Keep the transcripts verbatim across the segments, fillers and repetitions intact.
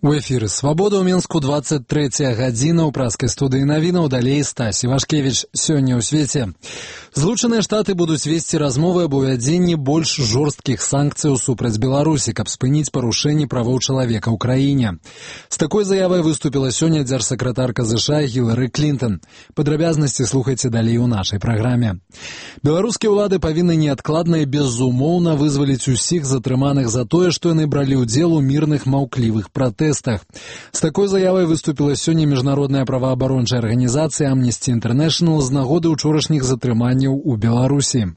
У эфіры «Свабода» ў Мінску двадцать трэцяя гадзіна ў праскай студыі навінаў, далей Стась Івашкевіч. Сёння ў свеце. Злучаныя Штаты будуць весці размовы аб увядзенні больш жорсткіх санкцыяў супраць Беларусі, каб спыніць парушэнні правоў чалавека ў краіне. З такой заявай выступіла сёння дзяржсакратарка ЗША Гілары Клінтон. Падрабязнасці слухайце далей у нашай праграме. Беларускія ўлады павінны неадкладна і безумоўна вызваліць усіх затрыманых за тое, што яны бралі ўдзел у мірных маўклівых пратэстах. З такой заявай выступіла сёння міжнародная праваабарончая арганізацыя Amnesty International з нагоды ўчорашніх затрыманняў у Беларусі.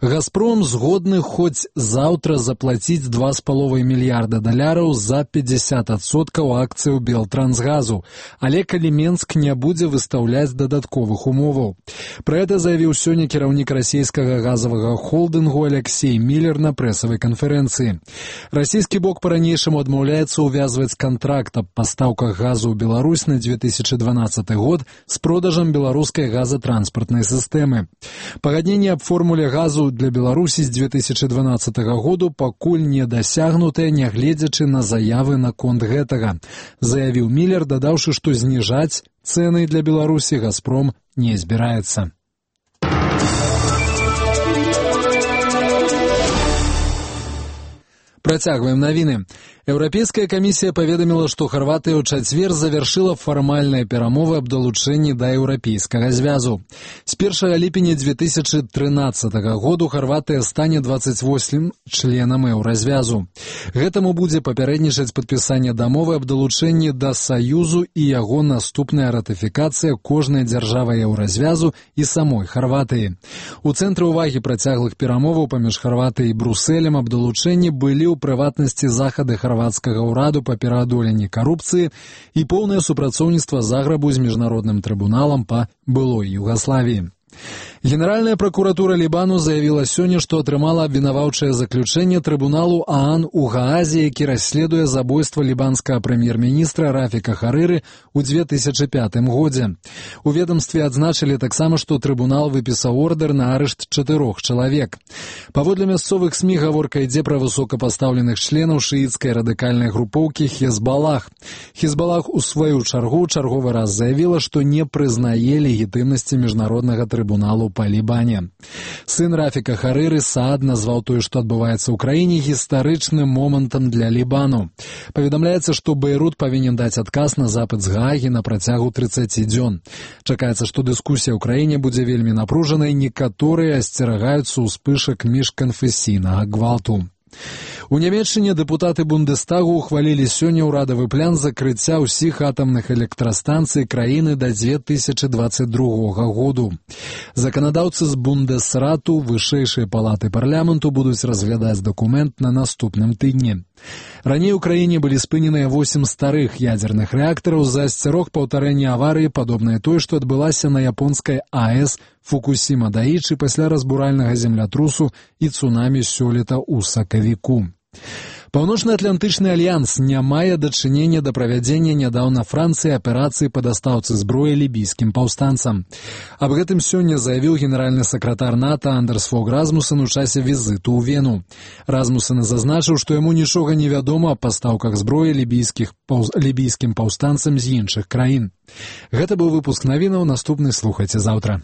«Газпром» згодны хоць заўтра заплаціць два з паловай мільярда даляраў за пятьдесят адсоткаў акцыяў Белтрансгазу, але калі Менск не будзе выстаўляць дадатковых умоваў. Пра гэта заявіў сёння кіраўнік расійскага газавага холдынгу Алексей Міллер на прэсавай канферэнцыі. Расійскі бок па-ранейшаму адмаўляецца ўвязваць кантракт аб пастаўках газу ў Беларусь на две тысячи дванаццаты год з продажам беларускай газатранспартнай сістэмы. Пагадненне аб формуле газу для Беларусі з две тысячи дванаццатага году пакуль не дасягнутая, нягледзячы на заявы наконт гэтага, заявіў Міллер, дадаўшы, што зніжаць цэны для Беларусі «Газпром» не збіраецца. Працягваем навіны. Еўрапейская камісія паведаміла, што Харватыя ў чацвер завяршыла фармальныя перамовы аб далучэнні да еўрапейскага звязу. З першага ліпеня две тысячи трынаццатага году Харватыя стане двадцать восьмым членам еўразвязу. Гэтаму будзе папярэднічаць падпісанне дамовы аб далучэнні да Саюзу і яго наступная ратыфікацыя кожнай дзяржавы еўразвязу і самой Харватыі. У цэнтры ўвагі працяглых перамоваў паміж Харватыяй і Брусэлем аб далучэнні былі ў прыватнасці захады харвацкага ўраду па пераадоленні карупцыі і поўнае супрацоўніцтва Заграбу з міжнародным трыбуналам па былой Югаславіі. Генеральная прокуратура Лібану заявіла сёння, што атрымала абвінаваўчае заключэнне трыбуналу ААН у Гаазе, які расследуе забойства лібанскага прэм'ер-міністра Рафіка Харыры ў две тысячи пятым годзе. У ведамстве адзначылі таксама, што трыбунал выпісаў ордэр на арышт чатырох чалавек. Паводле мясцовых СМІ гаворка ідзе пра высокапастаўленых членаў шыіцкай радыкальнай групоўкі Хезбалах. Хезбалах у сваю чаргу чарговы раз заявіла, што не прызнае легітымнасці міжнароднага трыбуналу па Лібане. Сын Рафіка Харыры Саад назваў тое, што адбываецца ў краіне, гістарычным момантам для Лібану. Паведамляецца, што Бейрут павінен даць адказ на запыт з Гаагі на працягу трыццаці дзён. Чакаецца, што дыскусія ў краіне будзе вельмі напружанай, некаторыя асцерагаюцца ўспышак міжканфесійнага гвалту. У Нямецчыне дэпутаты Бундестагу ухвалілі сёння ўрадавы план закрыцця ўсіх атамных электрастанцый краіны да две тысячи двадцать другога году. Заканадаўцы з Бундесрату, вышэйшай палаты парламенту будуць разглядаць дакумент на наступным тыдні. Раней у краіне былі спыненыя восем старых ядзерных рэактараў з-за асцярог паўтарэння аварыі, падобнай той, што адбылася на японскай АЭС Фукусіма-Даічы пасля разбуральнага землятрусу і цунамі сёлета ў сакавіку. Паўночна-атлантычны альянс не мае дачынення да правядзення нядаўна Францыі аперацыі па дастаўцы зброі лібійскім паўстанцам. Аб гэтым сёння заявіў генеральны сакратар НАТО Андерс Фог Расмуссен у часе візіту ў Вену. Расмуссен зазначыў, што яму нічога не вядома аб пастаўках зброі лібійскіх паўз... лібійскім паўстанцам з іншых краін. Гэта быў выпуск навінаў, наступны слухайце заўтра.